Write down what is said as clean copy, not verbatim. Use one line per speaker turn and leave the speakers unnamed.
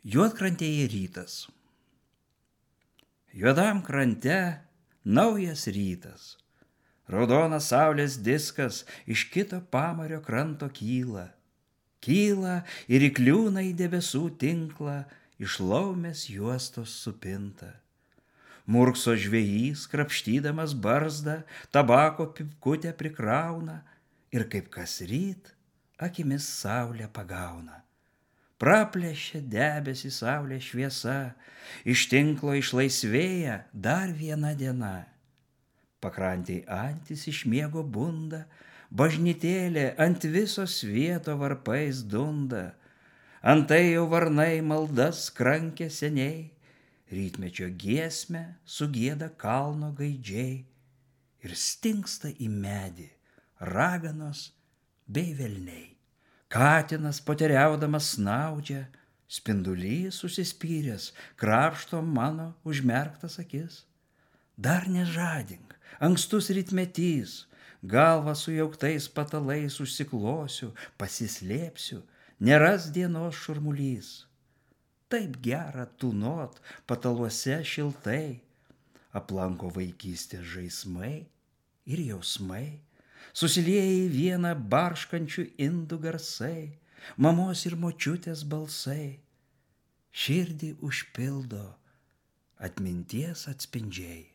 Juodkrantėje rytas. Juodam krante naujas rytas. Raudonas saulės diskas iš kito pamario kranto kyla. Kyla ir įkliūna į debesų tinklą, iš laumės juostos supinta. Murkso žvejys, krapštydamas barzdą, tabako pipkutę prikrauna ir kaip kas ryt akimis saulę pagauna. Praplėšia debesį saulės šviesa, iš tinklo išlaisvėja dar viena diena. Pakrantėj antys iš miego bunda, bažnytėlė ant viso svieto varpais dunda. Antai jau varnai maldas krankė seniai, rytmečio giesmę sugieda kalno gaidžiai ir stingsta į medį raganos bei velniai. Katinas poteriaudamas snaudžia, spindulys užsispyręs krapšto mano užmerktas akis. Dar nežadink, ankstus rytmetys, galvą sujauktais patalais užsiklosiu, pasislėpsiu, neras dienos šurmulys. Taip gera tūnot pataluose šiltai, aplanko vaikystės žaismai ir jausmai. Susilieja į vieną barškančių indų garsai, mamos ir močiutės balsai. Širdį užpildo atminties atspindžiai.